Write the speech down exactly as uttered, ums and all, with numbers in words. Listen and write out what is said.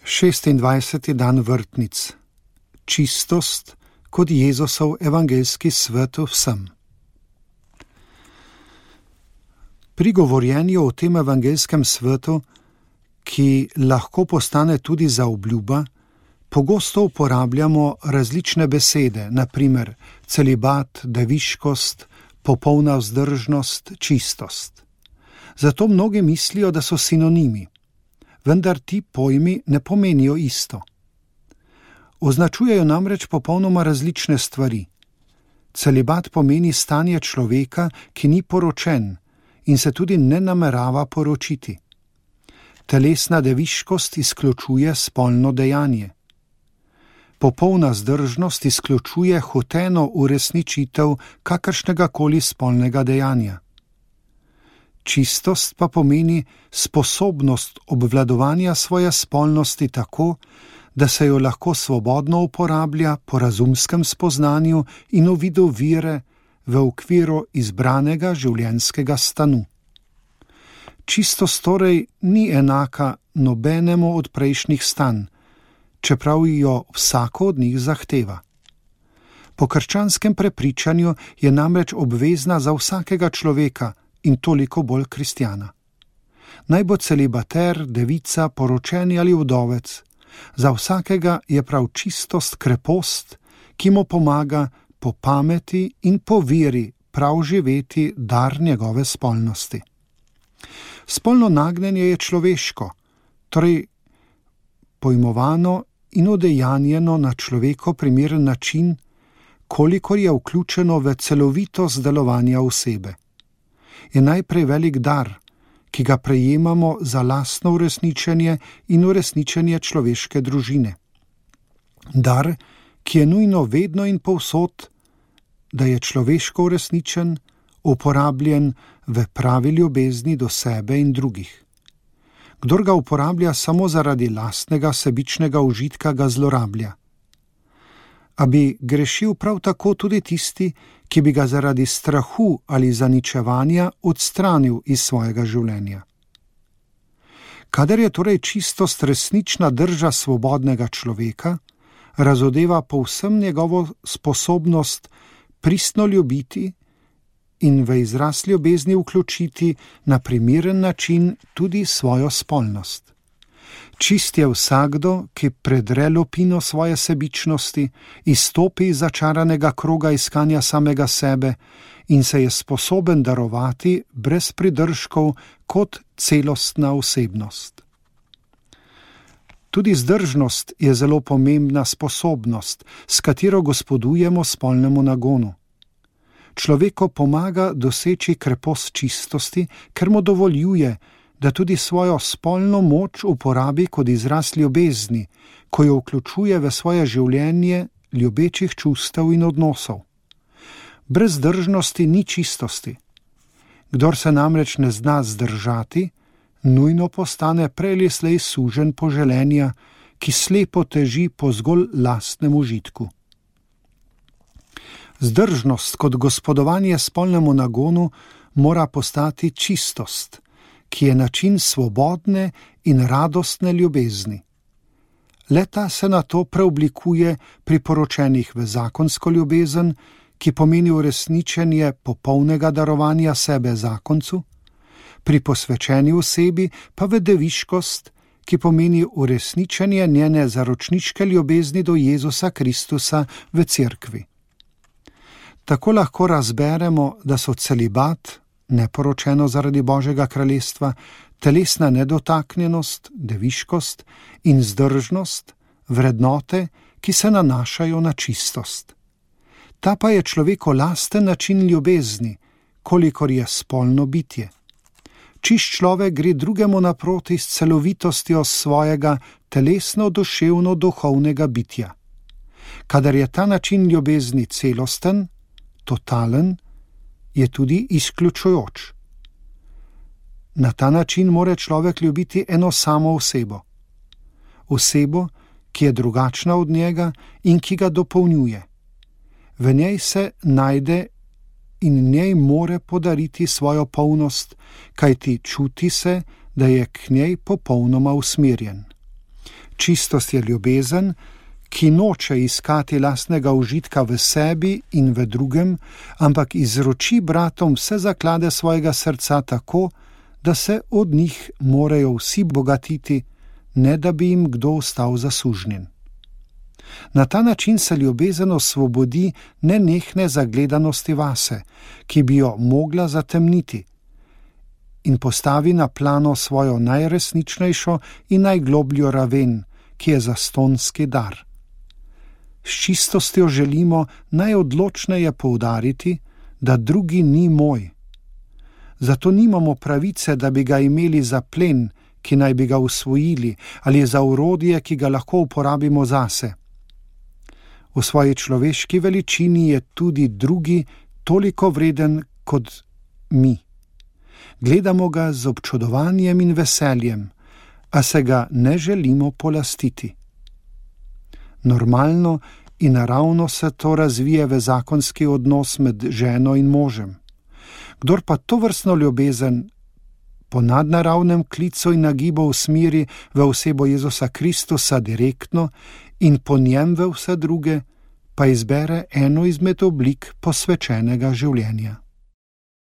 šestindvajseti dan vrtnic. Čistost kot Jezusov evangeljski svet vsem. Pri govorjenju o tem evangeljskem svetu, ki lahko postane tudi zaobljuba, pogosto uporabljamo različne besede, na primer celibat, deviškost, popolna vzdržnost, čistost. Zato mnogi mislijo, da so sinonimi, vendar ti pojmi ne pomenijo isto. Označujejo namreč popolnoma različne stvari. Celibat pomeni stanje človeka, ki ni poročen in se tudi ne namerava poročiti. Telesna deviškost izključuje spolno dejanje. Popolna zdržnost izključuje hoteno uresničitev kakršnega koli spolnega dejanja. Čistost pa pomeni sposobnost obvladovanja svoje spolnosti tako, da se jo lahko svobodno uporablja po razumskem spoznanju in uvidu vire v okviru izbranega življenjskega stanu. Čistost torej ni enaka nobenemu od prejšnjih stanj, čeprav jo vsako od njih zahteva. Po krščanskem prepričanju je namreč obvezna za vsakega človeka in toliko bolj kristjana. Naj bo celibater, devica, poročeni ali vdovec, za vsakega je prav čistost krepost, ki mu pomaga po pameti in po veri prav živeti dar njegove spolnosti. Spolno nagnjenje je človeško, torej pojmovano in udejanjeno na človeku primeren način, kolikor je vključeno v celovitost delovanja osebe. Je najprej velik dar, ki ga prejemamo za lastno uresničenje in uresničenje človeške družine. Dar, ki je nujno vedno in povsod, da je človeško uresničen, uporabljen v pravi ljubezni do sebe in drugih. Kdor ga uporablja samo zaradi lastnega sebičnega užitka, ga zlorablja. A bi grešil prav tako tudi tisti, ki bi ga zaradi strahu ali zaničevanja odstranil iz svojega življenja. Kadar je torej čistost resnična drža svobodnega človeka, razodeva povsem njegovo sposobnost pristno ljubiti in v izraz ljubezni vključiti na primeren način tudi svojo spolnost. Čist je vsakdo, ki predre lupino svoje sebičnosti, izstopi iz začaranega kroga iskanja samega sebe in se je sposoben darovati brez pridržkov kot celostna osebnost. Tudi zdržnost je zelo pomembna sposobnost, s katero gospodujemo spolnemu nagonu. Človeku pomaga doseči krepost čistosti, ker mu dovoljuje, da tudi svojo spolno moč uporabi kot izraz ljubezni, ko jo vključuje v svoje življenje ljubečih čustev in odnosov. Brez zdržnosti ni čistosti. Kdor se namreč ne zna zdržati, nujno postane prej ali slej suženj poželenja, ki slepo teži po zgolj lastnem užitku. Zdržnost kot gospodovanje spolnemu nagonu mora postati čistost, ki je način svobodne in radostne ljubezni. Le-ta se na to preoblikuje pri poročenih v zakonsko ljubezen, ki pomeni uresničenje popolnega darovanja sebe zakoncu, pri posvečeni osebi pa v deviškost, ki pomeni uresničenje njene zaročniške ljubezni do Jezusa Kristusa v cerkvi. Tako lahko razberemo, da so celibat, neporočeno zaradi Božjega kraljestva, telesna nedotaknjenost, deviškost in zdržnost, vrednote, ki se nanašajo na čistost. Ta pa je človeku lasten način ljubezni, kolikor je spolno bitje. Čišč človek gre drugemu naproti s celovitostjo svojega telesno-duševno-duhovnega bitja. Kadar je ta način ljubezni celosten, totalen, je tudi izključujoč. Na ta način more človek ljubiti eno samo osebo. Osebo, ki je drugačna od njega in ki ga dopolnjuje. V njej se najde in njej more podariti svojo polnost, kajti čuti se, da je k njej popolnoma usmerjen. Čistost je ljubezen, ki noče iskati lastnega užitka v sebi in v drugem, ampak izroči bratom vse zaklade svojega srca tako, da se od njih morajo vsi bogatiti, ne da bi jim kdo ostal zasužnjen. Na ta način se ljubezen osvobodi nenehne zagledanosti vase, ki bi jo mogla zatemniti, in postavi na plano svojo najresničnejšo in najglobljo raven, ki je zastonski dar. S čistostjo želimo najodločneje poudariti, da drugi ni moj. Zato nimamo pravice, da bi ga imeli za plen, ki naj bi ga usvojili, ali za orodje, ki ga lahko uporabimo zase. V svoji človeški veličini je tudi drugi toliko vreden kot mi. Gledamo ga z občudovanjem in veseljem, a se ga ne želimo polastiti. Normalno in naravno se to razvije v zakonski odnos med ženo in možem. Kdor pa tovrstno ljubezen po nadnaravnem klicu in nagibu usmeri v osebo Jezusa Kristusa direktno in po njem v vse druge, pa izbere eno izmed oblik posvečenega življenja.